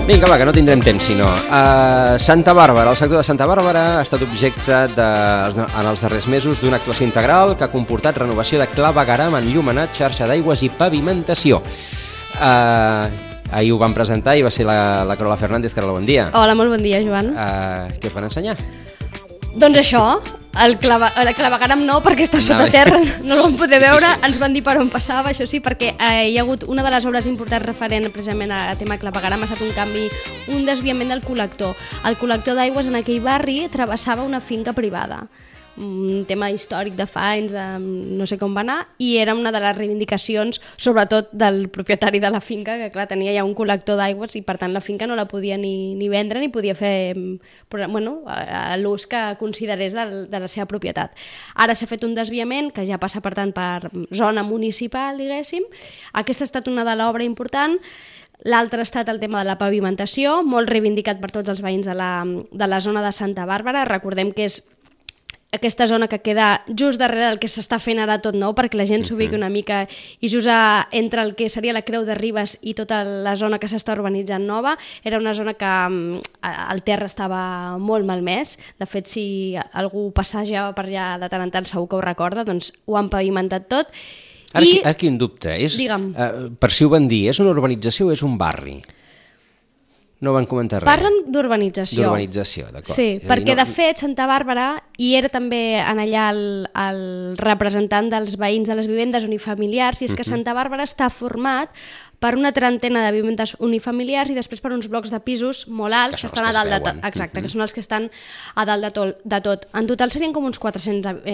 Vinga, va, que no tindrem temps, sinó. Santa Bàrbara, el sector de Santa Bàrbara ha estat objecte en els darrers mesos d'una actuació integral que ha comportat renovació de clavegueram, enllumenat, xarxa d'aigües i pavimentació. Ahir ho vam presentar i va ser la Carola Fernández. Carola, bon dia. Hola, molt bon dia, Joan. Què us van ensenyar? Doncs això, el clavegueram no, perquè està sota terra, no el vam poder veure, ens van dir per on passava, això sí, perquè hi ha hagut una de les obres importants referent precisament al tema clavegueram, ha estat un canvi, un desviament del col·lector. El col·lector d'aigües en aquell barri travessava una finca privada, un tema històric de fa anys, no sé com va anar, i era una de les reivindicacions, sobretot del propietari de la finca, que clar, tenia ja un col·lector d'aigües i per tant la finca no la podia ni vendre ni podia fer l'ús que considerés de la seva propietat. Ara s'ha fet un desviament que ja passa per tant per zona municipal, diguéssim. Aquesta ha estat una de l'obra important. L'altre ha estat el tema de la pavimentació, molt reivindicat per tots els veïns de la zona de Santa Bàrbara. Recordem que és aquesta zona que queda just darrere del que s'està fent ara tot nou, perquè la gent s'ubiqui una mica, i just entre el que seria la Creu de Ribes i tota la zona que s'està urbanitzant nova, era una zona que el terra estava molt malmès. De fet, si algú passejava per allà de tant en tant segur que ho recorda, doncs ho han pavimentat tot. Ara quin dubte, Digue'm. Per si ho van dir, és una urbanització o és un barri? No van comentar res. Parlen d'urbanització. D'urbanització, d'acord. Sí, perquè de fet Santa Bàrbara, i era també en allà el representant dels veïns de les vivendes unifamiliars, i és que Santa Bàrbara està format per una trentena de vivendes unifamiliars i després per uns blocs de pisos molt alts que estan a dalt de tot. Exacte, que són els que estan a dalt de tot. En total serien com uns 400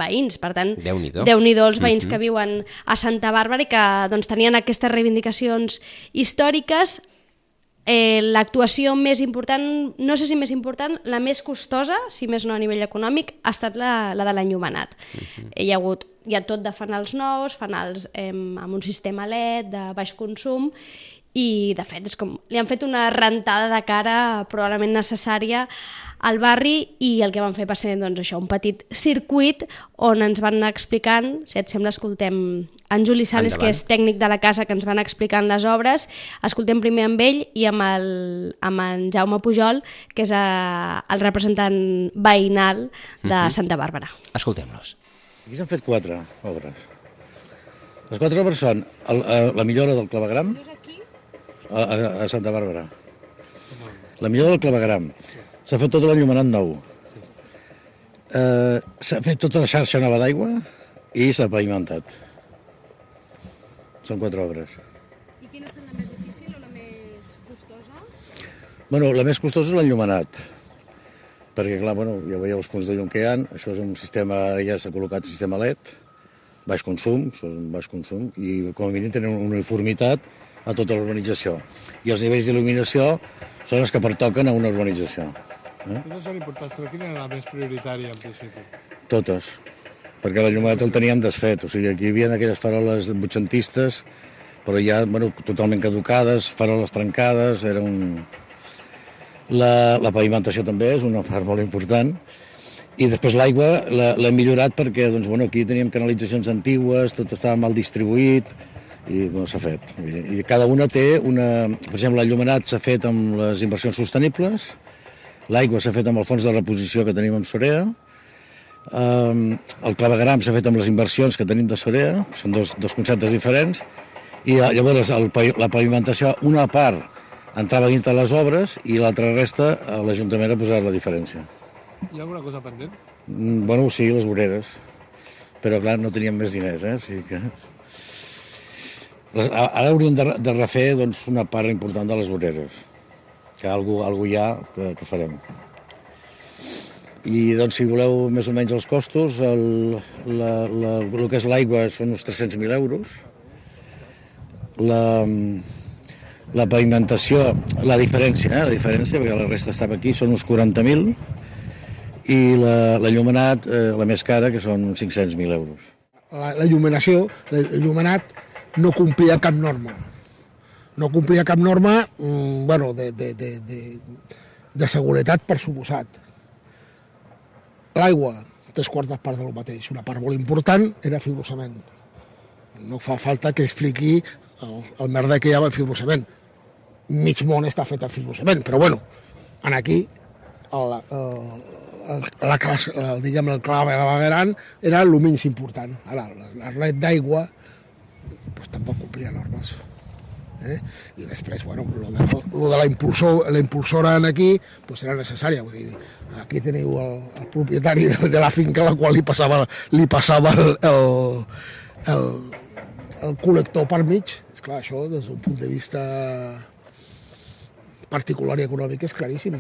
veïns, per tant, Déu-n'hi-do els veïns que viuen a Santa Bàrbara i que doncs, tenien aquestes reivindicacions històriques. L'actuació més important, no sé si més important, la més costosa, si més no a nivell econòmic, ha estat la de l'enllumenat. Hi ha tot de fanals nous, fanals amb un sistema LED de baix consum, i de fet li han fet una rentada de cara probablement necessària al barri, i el que van fer va ser doncs, això, un petit circuit on ens van anar explicant, si et sembla escoltem en Juli Sales, que és tècnic de la casa, que ens van explicant les obres. Escoltem primer amb ell i amb en Jaume Pujol, que és el representant veïnal de Santa Bàrbara. Escoltem-los. Aquí s'han fet 4 obres. Les 4 obres són la millora del clavegueram a Santa Bàrbara. La millora del clavegueram. S'ha fet tot l'enllumenat nou. S'ha fet tota la xarxa nova d'aigua i s'ha pavimentat. Són 4 obres. I quina ha estat la més difícil o la més costosa? Bueno, la més costosa és l'enllumenat, perquè, clar, ja veieu els punts de llum que hi ha. Això és un sistema, ara ja s'ha col·locat un sistema LED, baix consum, i com a mínim tenen una uniformitat a tota l'urbanització. I els nivells d'il·luminació són els que pertoquen a una urbanització. Totes són importants, però quina era la més prioritària en principi? Totes, perquè l'enllumenat el teníem desfet. O sigui, aquí hi havia aquelles faroles vuitcentistes, però ja totalment caducades, faroles trencades, era un... La pavimentació també és una part molt important. I després l'aigua l'hem millorat perquè aquí teníem canalitzacions antigues, tot estava mal distribuït, i s'ha fet. I cada una té una... Per exemple, l'enllumenat s'ha fet amb les inversions sostenibles, l'aigua s'ha fet amb el fons de reposició que tenim amb Sorea, el clavegueram s'ha fet amb les inversions que tenim de Sorea, són dos conceptes diferents, i llavors la pavimentació, una part entrava dintre les obres i l'altra resta l'Ajuntament ha posat la diferència. Hi ha alguna cosa pendent? Sí, les voreres, però clar, no teníem més diners, o sigui que... Ara hauríem de refer una part important de les voreres, que alguna hi ha que farem. I si voleu més o menys els costos, el que és l'aigua són uns 300.000 euros, la pavimentació, la diferència, perquè la resta estava aquí, són uns 40.000, i l'enllumenat, la més cara, que són 500.000 euros. L'enllumenat no complia cap norma. No complia cap norma, de seguretat, per suposat. L'aigua, 3/4 parts del mateix. Una part molt important era fibrocement. No fa falta que expliqui el merder que hi ha amb el fibrocement. Mig món està fet amb fibrocement, però bueno, aquí el clavegueram era el menys important. Ara, l'arlet d'aigua tampoc complia normes. I després, bueno, lo de la impulsora aquí era necessària. Vull dir, aquí teniu el propietari de la finca, a la qual li passava el col·lector per mig. Esclar, això, des d'un punt de vista particular i econòmic, és claríssim.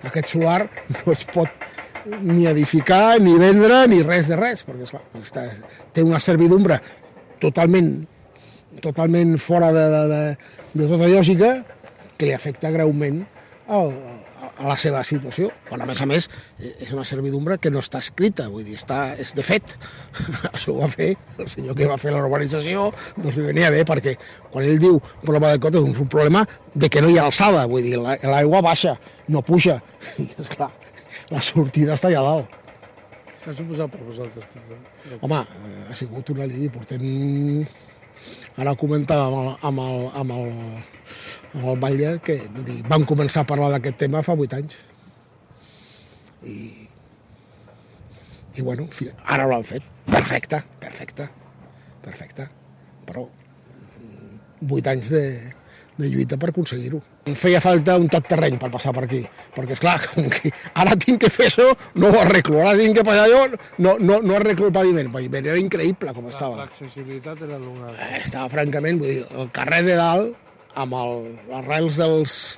Aquest solar no es pot ni edificar, ni vendre, ni res de res, perquè esclar, té una servidumbre totalment fora de tota lògica que li afecta greument a la seva situació. Quan, a més, és una servidumbre que no està escrita, vull dir, és de fet. Això ho va fer el senyor que va fer la urbanització, doncs li venia bé, perquè quan ell diu problema de cota, és un problema de que no hi ha alçada, vull dir, l'aigua baixa, no puja. I, esclar, la sortida està allà dalt. Què ha suposat per vosaltres? Home, ha sigut un alivi. Ara ho comentàvem amb el Batlle, que vam començar a parlar d'aquest tema fa 8 anys. I bueno, ara ho han fet. Perfecte. Però 8 anys de lluita per aconseguir-ho. Em feia falta un tot terreny per passar per aquí, perquè, esclar, ara tinc que fer això, no ho arreglo, ara tinc que passar allò, no arreglo el paviment. El paviment era increïble com estava. L'accessibilitat era l'una... Estava, francament, vull dir, el carrer de dalt, amb les rels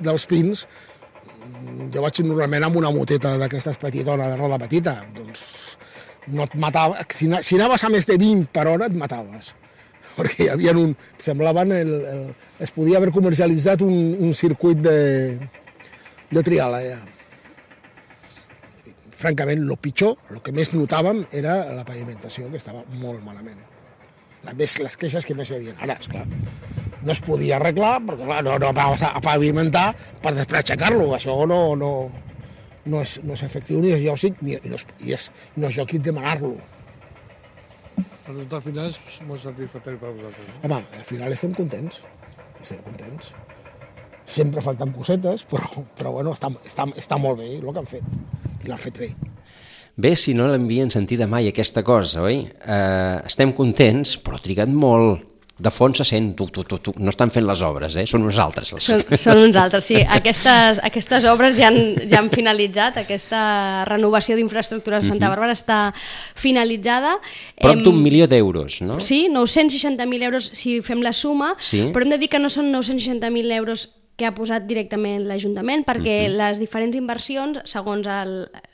dels pins, jo vaig normalment amb una moteta d'aquestes petitones de roda petita, doncs no et matava, si anaves a més de 20 per hora et mataves. Perquè hi havia es podia haver comercialitzat un circuit de trial allà. Francament, el pitjor, el que més notàvem era la pavimentació, que estava molt malament. Les queixes que més hi havia. Ara, esclar, no es podia arreglar, perquè clar, no vas a pavimentar per després aixecar-lo. Això no és efectiu ni és lògic, no és lògic demanar-lo. El resultat final és molt satisfactori per a vosaltres. Home, al final estem contents. Sempre falten cosetes, però bueno, està molt bé el que han fet. I l'han fet bé. Bé, si no l'havien sentida mai aquesta cosa, oi? Estem contents, però ha trigat molt. De fons se sent, no estan fent les obres, són uns altres. Són uns altres, sí. Aquestes obres ja han finalitzat, aquesta renovació d'infraestructures de Santa Bàrbara està finalitzada. Prop d'1 milió d'euros, no? Sí, 960.000 euros si fem la suma, però hem de dir que no són 960.000 euros que ha posat directament l'Ajuntament, perquè les diferents inversions, segons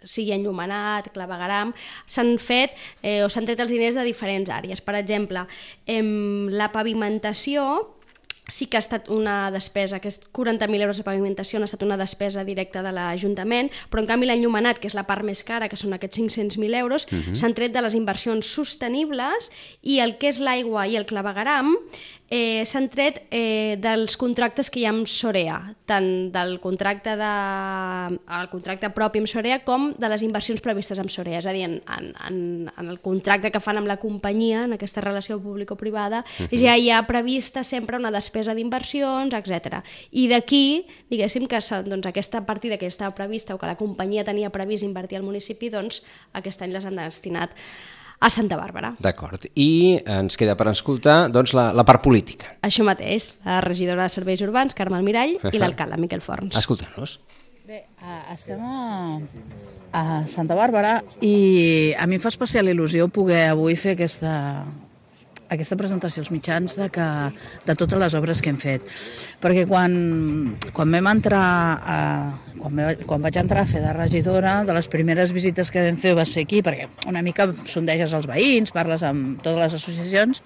sigui enllumenat, clavegueram, s'han fet o s'han tret els diners de diferents àrees. Per exemple, la pavimentació sí que ha estat una despesa, aquests 40.000 euros de pavimentació han estat una despesa directa de l'Ajuntament, però en canvi l'enllumenat, que és la part més cara, que són aquests 500.000 euros, s'han tret de les inversions sostenibles, i el que és l'aigua i el clavegueram s'han tret dels contractes que hi ha amb Sorea, tant del contracte propi amb Sorea com de les inversions previstes amb Sorea. És a dir, en el contracte que fan amb la companyia, en aquesta relació público-privada, ja hi ha prevista sempre una despesa d'inversions, etc. I d'aquí, diguéssim que aquesta partida que estava prevista o que la companyia tenia previst invertir al municipi, doncs aquest any les han destinat a Santa Bàrbara. D'acord. I ens queda per escoltar la part política. Això mateix, la regidora de Serveis Urbans, Carme Almirall, i l'alcalde, Miquel Forns. Escoltem-los. Bé, estem a Santa Bàrbara i a mi em fa especial il·lusió poder avui fer aquesta presentació als mitjans de totes les obres que hem fet. Perquè quan vaig entrar a fer de regidora, de les primeres visites que vam fer va ser aquí, perquè una mica sondeges els veïns, parles amb totes les associacions,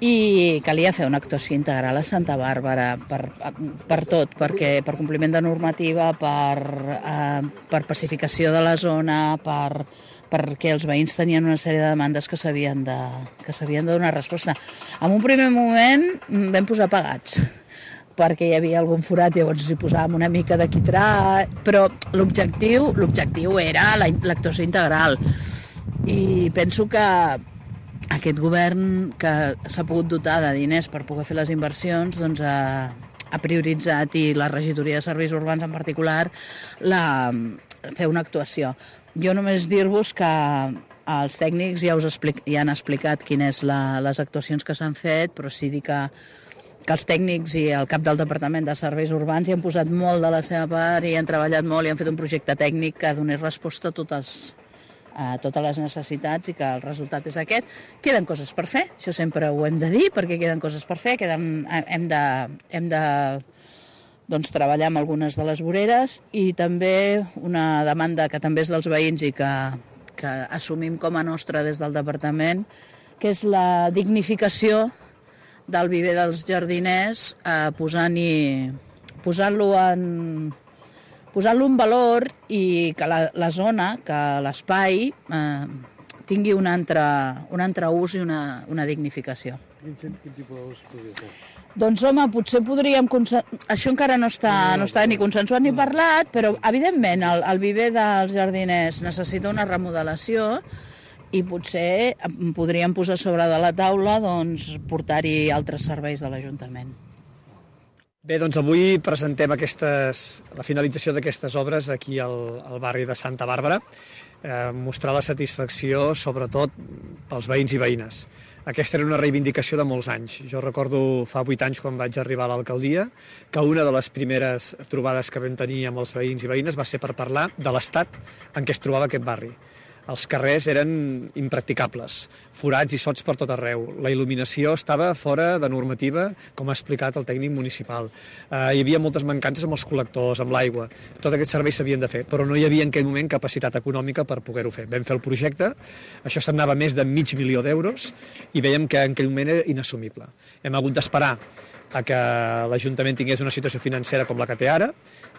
i calia fer una actuació integral a Santa Bàrbara per tot, per compliment de normativa, per pacificació de la zona, perquè els veïns tenien una sèrie de demandes que s'havien de donar resposta. En un primer moment vam posar pagats, perquè hi havia algun forat, llavors hi posàvem una mica de quitrà, però l'objectiu era l'actuació integral. I penso que aquest govern que s'ha pogut dotar de diners per poder fer les inversions, doncs ha prioritzat, i la regidoria de serveis urbans en particular, fer una actuació. Jo només dir-vos que els tècnics ja han explicat quines les actuacions que s'han fet, però sí dir que els tècnics i el cap del Departament de Serveis Urbans hi han posat molt de la seva part i han treballat molt i han fet un projecte tècnic que donés resposta a totes les necessitats, i que el resultat és aquest. Queden coses per fer, això sempre ho hem de dir, perquè queden coses per fer, hem de treballar amb algunes de les voreres, i també una demanda que també és dels veïns i que assumim com a nostra des del departament, que és la dignificació del viver dels jardiners, posant-lo en valor, i que la zona, que l'espai tingui un altre ús i una dignificació. Quin tipus d'ús podria ser? Doncs home, potser podríem... Això encara no està ni consensuat ni parlat, però evidentment el viver dels jardiners necessita una remodelació, i potser podríem posar sobre de la taula portar-hi altres serveis de l'Ajuntament. Bé, doncs avui presentem la finalització d'aquestes obres aquí al barri de Santa Bàrbara, mostrar la satisfacció sobretot pels veïns i veïnes. Aquesta era una reivindicació de molts anys. Jo recordo fa 8 anys, quan vaig arribar a l'alcaldia, que una de les primeres trobades que vam tenir amb els veïns i veïnes va ser per parlar de l'estat en què es trobava aquest barri. Els carrers eren impracticables, forats i sots per tot arreu. La il·luminació estava fora de normativa, com ha explicat el tècnic municipal. Hi havia moltes mancances amb els col·lectors, amb l'aigua. Tots aquests serveis s'havien de fer, però no hi havia en aquell moment capacitat econòmica per poder-ho fer. Vam fer el projecte, això s'anava més de €500.000, i veiem que en aquell moment era inassumible. Hem hagut d'esperar a que l'Ajuntament tingués una situació financera com la que té ara,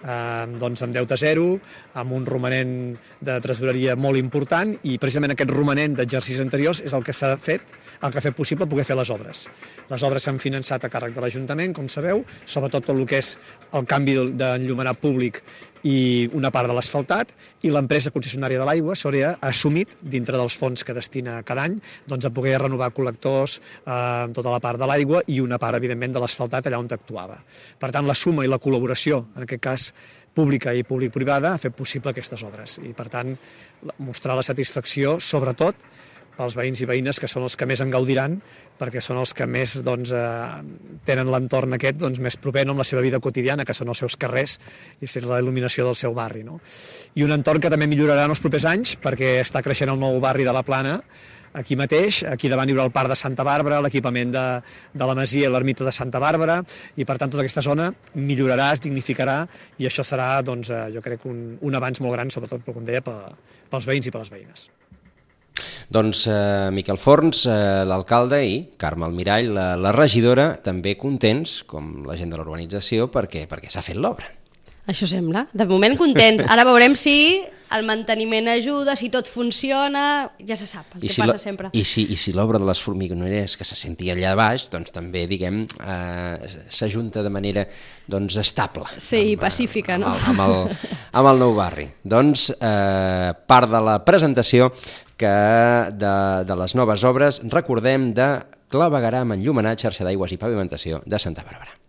amb deute zero, amb un romanent de tresoreria molt important, i precisament aquest romanent d'exercicis anteriors és el que s'ha fet, el que ha fet possible poder fer les obres. Les obres s'han finançat a càrrec de l'Ajuntament, com sabeu, sobretot tot el que és el canvi d'enllumenat públic i una part de l'asfaltat, i l'empresa concessionària de l'aigua s'hauria assumit, dintre dels fons que destina cada any, a poder renovar col·lectors, tota la part de l'aigua i una part, evidentment, de l'asfaltat allà on actuava. Per tant, la suma i la col·laboració, en aquest cas pública i públic-privada, ha fet possible aquestes obres. I, per tant, mostrar la satisfacció, sobretot, pels veïns i veïnes, que són els que més en gaudiran, perquè són els que més tenen l'entorn aquest més proper amb la seva vida quotidiana, que són els seus carrers i la il·luminació del seu barri. I un entorn que també millorarà en els propers anys, perquè està creixent el nou barri de la Plana, aquí mateix, aquí davant hi haurà el Parc de Santa Bàrbara, l'equipament de la Masia i l'Ermita de Santa Bàrbara, i per tant tota aquesta zona millorarà, es dignificarà, i això serà, jo crec, un avanç molt gran, sobretot, com deia, pels veïns i per les veïnes. Doncs Miquel Forns, l'alcalde, i Carme Almirall, la regidora, també contents, com la gent de l'urbanització, perquè s'ha fet l'obra. Això sembla. De moment contents. Ara veurem si el manteniment ajuda, si tot funciona, ja se sap, el que passa sempre. I si l'obra de les formigoneres que se sentia allà baix, doncs també, diguem, s'ajunta de manera estable. Sí, pacífica, no? Amb el nou barri. Doncs part de la presentació de les noves obres, recordem, de clavegueram, enllumenat, xarxa d'aigües i pavimentació de Santa Bàrbara.